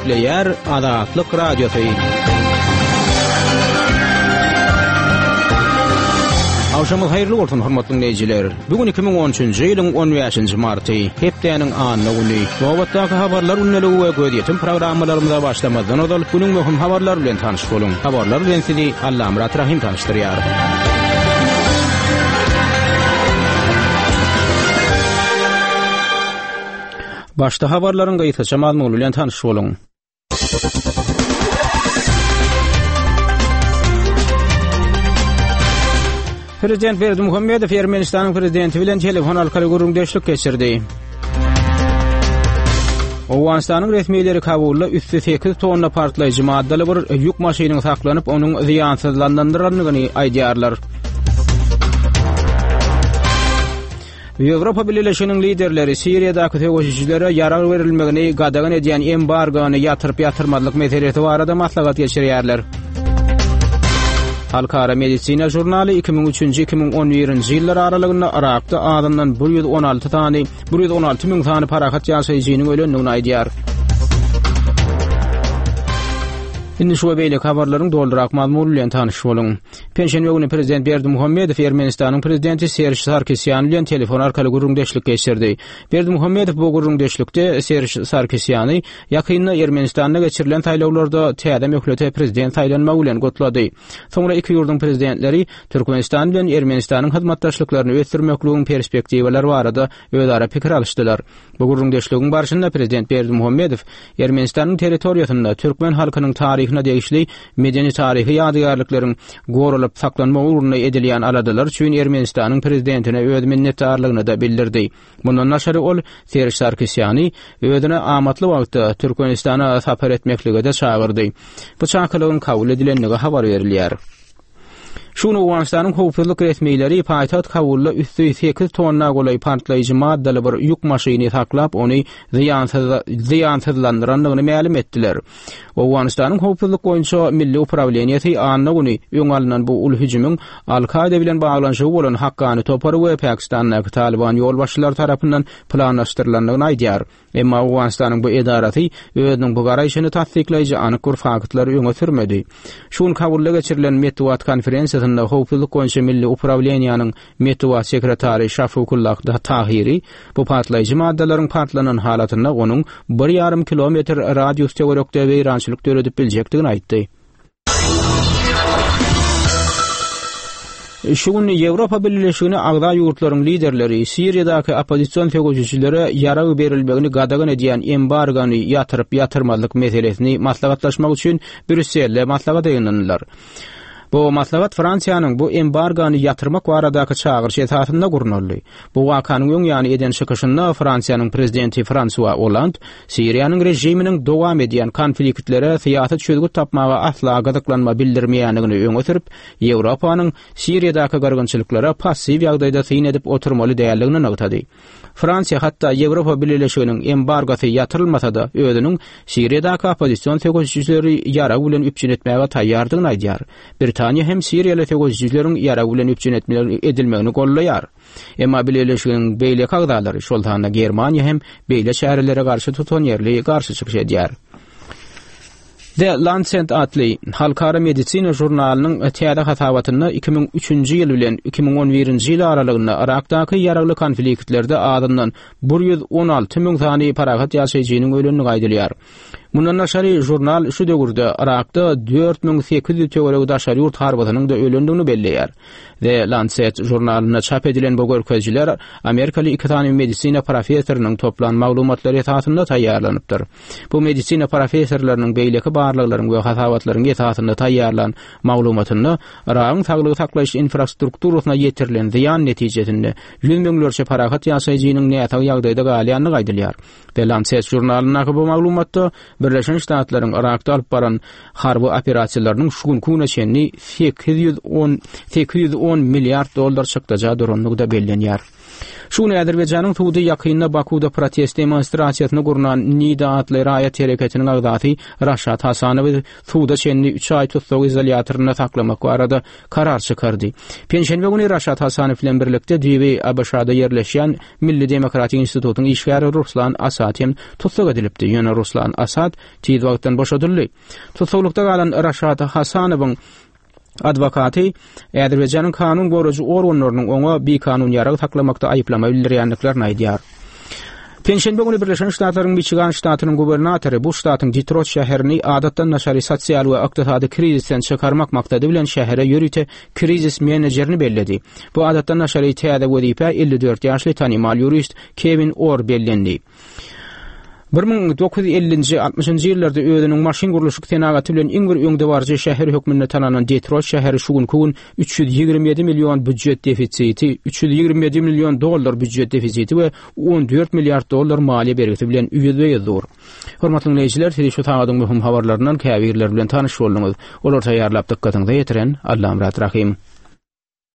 Gepleýär Azatlyk Radiosy. Agşamyňyz haýyrly bolsun, hormatly diňleýjiler. Bu gün 2013-nji ýylyň 15-nji marty, hepdäniň anna güni. Nobatdaky habarlar gündeligi we gözýetim programmalarymyza başlamazdan ozal, günüň möhüm habarlary bilen tanyş boluň. Habarlar bilen sizi Allamyrat Rahym tanyşdyrýar. Başda habarlaryň gysgaça mazmuny bilen tanyş boluň. Prezident Berdimuhamedow Ermenistanyň prezidenti bilen telefon arkaly gürrüňdeşlik geçirdi. Owganystanyň resmileri Kabulda üsti 8 tonna partlaýjy maddaly bir ýük maşynyň saklanyp, onuň zyýansyzlandyrylandygyny aýdýarlar. Ýewropa Bileleşiginiň liderleri Siriýadaky söweşijilere ýarag berilmegini gadagan edýän embargony ýatyryp-ýatyrmazlyk meselesi barada maslahat geçirýärler. Halkara medisina žurnaly 2003-nji 2011-nji ýyllar aralygynda Yrakda azyndan 116 sany 116 müň sany parahat ýaşaýjynyň ölendigini aýdýar. Indi şu we beýleki habarlaryň dolurak mazmuny bilen tanyş boluň. Penşenbe güni prezident Berdimuhamedow Ermenistanyň prezidenti Serž Sarkisýan bilen telefon arkaly gürrüňdeşlik geçirdi. Berdimuhamedow bu gürrüňdeşlikde Serž Sarkisýany ýakynda Ermenistanda geçirilen saýlawlarda täze möhlete prezident saýlanmagy bilen gutlady. Soňra iki ýurduň prezidentleri Türkmenistan bilen Ermenistanyň hyzmatdaşlyklaryny ösdürmekligiň perspektiwalary barada özara pikir alyşdylar. Bu gürrüňdeşligiň barşynda prezident Berdimuhamedow Ermenistanyň territoriýasynda türkmen halkynyň taryhyna degişli medeni-taryhy ýadygärlikleriň goralyp saklanmagy ugrunda edilýän aladalar üçin Ermenistanyň prezidentine öz minnetdarlygyny-da bildirdi. Mundan daşary ol Serž Sarkisýany özüne amatly wagtda Türkmenistana sapar etmeklige-de çagyrdy. Bu çakylygyň kabul edilendigi habar berilýär. Şu gün Owganystanyň howpsuzlyk resmileri paýtagt Kabulda üsti sekiz tonna golaý partlaýjy maddaly bir ýük maşyny saklap, ony zyýansyzlandyrandygyny mälim etdiler. Owganystanyň howpsuzlyk boýunça milli uprawleniýesi anna güni öň alnan bu uly hüjümiň Al-Kaýda bilen baglanyşygy bolan Hakkany topary we Pakistandaky Talyban ýolbaşçylary tarapyndan planlaşdyrylandygyny aýdýar. Emma Owganystanyň bu edarasy özüniň bu garaýşyny tassyklaýjy anyk bir faktlary öňe sürmedi. Şu gün Kabulda geçirilen metbugat konferensiýasynda Howpsuzlyk boýunça milli uprawleniýäniň metbugat sekretary Şafukullah Tahiri bu partlaýjy maddalaryň partlanan halatynda onuň bir ýarym kilometr radius töwerekde weýrançylyk döredip biljekdigini aýtdy. Şu gün Ýewropa Bileleşigine agza ýurtlaryň liderleri Siriýadaky oppozision söweşijilere ýarag berilmegini gadagan edýän embargony ýatyryp-ýatyrmazlyk meselesini maslahatlaşmak üçin Brýusselde maslahata ýygnandylar. Bu maslahat Fransiýanyň bu embargony ýatyrmak baradaky çagyryşy esasynda gurnaldy. Bu wakanyň öň ýany eden çykyşynda Fransiýanyň prezidenti Fransua Oland Siriýanyň režiminiň dowam edýän konfliktlere syýasy çözgüt tapmaga asla gyzyklanma bildirmeýändigini öňe sürüp, Ýewropanyň Siriýadaky gyrgynçylyklara passiw ýagdaýda syn edip oturmaly däldigini nygtady. Fransiýa hatda Ýewropa Bileleşiginiň embargosy ýatyrylmasa-da, özüniň Siriýadaky oppozision söweşijileri ýarag bilen üpjün etmäge taýýardygyny aýdýar. Britaniýa hem siriýaly söweşijileriň ýarag bilen üpjün edilmegini goldaýar. Emma bileleşigiň beýleki agzalary, şol sanda Germaniýa hem beýle çärelere garşy tutanýerli garşy çykyş edýär. The Lancet atly halkara medisina žurnalynyň täze hasabatynda 2003-nji ýyl bilen 2011-nji ýyl aralygynda Yrakdaky ýaragly konfliktlerde azyndan 116 müň sany parahat ýaşaýjynyň ölendigi aýdylýar. Mundan daşary, žurnal şu döwürde Yrakda 4800 töweregi daşary ýurt harbysynyň-da ölendigini belleýär. The Lancet žurnalynda çap edilen bu görkezijiler amerikaly iki sany medisina professorynyň toplan maglumatlary esasynda taýýarlanypdyr. Bu medisina professorlarynyň beýleki barlaglaryň we hasabatlaryň esasynda taýýarlan maglumatynda Yragyň saglygy saklaýyş infrastrukturasyna ýetirilen zyýan netijesinde ýüz müňlerçe parahat ýaşaýjynyň näsag ýagdaýda galýandygy aýdylýar. The Lancet žurnalyndaky bu maglumatda Birleşen Ştatlaryň Yrakda alyp baran harby operasiýalarynyň şu günki güne çenli 810 810 milliard dollar çykdaja durandygy-da bellenýär. Şu gün Azerbaýjanyň sudy ýakynda Bakuwda protest demonstrasiýasyny gurnan Nida atly raýat hereketiniň agzasy Raşat Hasanowy suda çenli üç aý tussag izolýatorynda saklamak barada karar çykardy. Penşenbe güni Raşat Hasanow bilen birlikde düýbi ABŞ-da ýerleşýän Milli demokratik institutyň işgäri Ruslan Asad hem tussag edilipdi. Ýöne Ruslan Asad tiz wagtdan boşadyldy. Tussaglykda galan Raşat Hasanowyň adwokaty Azerbaýjanyň kanun goraýjy organlarynyň oňa bikanun ýarag saklamakda aýyplama bildirýändiklerini aýdýar. Penşenbe güni Birleşen Ştatlaryň Miçigan ştatynyň gubernatory bu ştatyň Detroit şäherini adatdan daşary sosial we ykdysady krizisden çykarmak maksady bilen şähere ýörite krizis menejerini belledi. Bu adatdan daşary täze wezipä 54 ýaşly tanymal ýurist Kewin Orr bellendi. 1950-nji, 60-njy ýyllarda özüniň maşyn gurluşyk senagaty bilen iň bir öňdebaryjy şäher hökmünde tanalan Detroit şäheri şu günki gün 327 million býujet defisiti, 327 million dollar býujet defisiti we 14 milliard dollar maliýe bergisi bilen ýüzbe-ýüz dur. Hormatly diňleýjiler, siz şu sagadyň möhüm habarlaryndan käbirleri bilen tanyş bolduňyz. Olary taýýarlap dykgatyňyza ýetiren Allamyrat Rahym.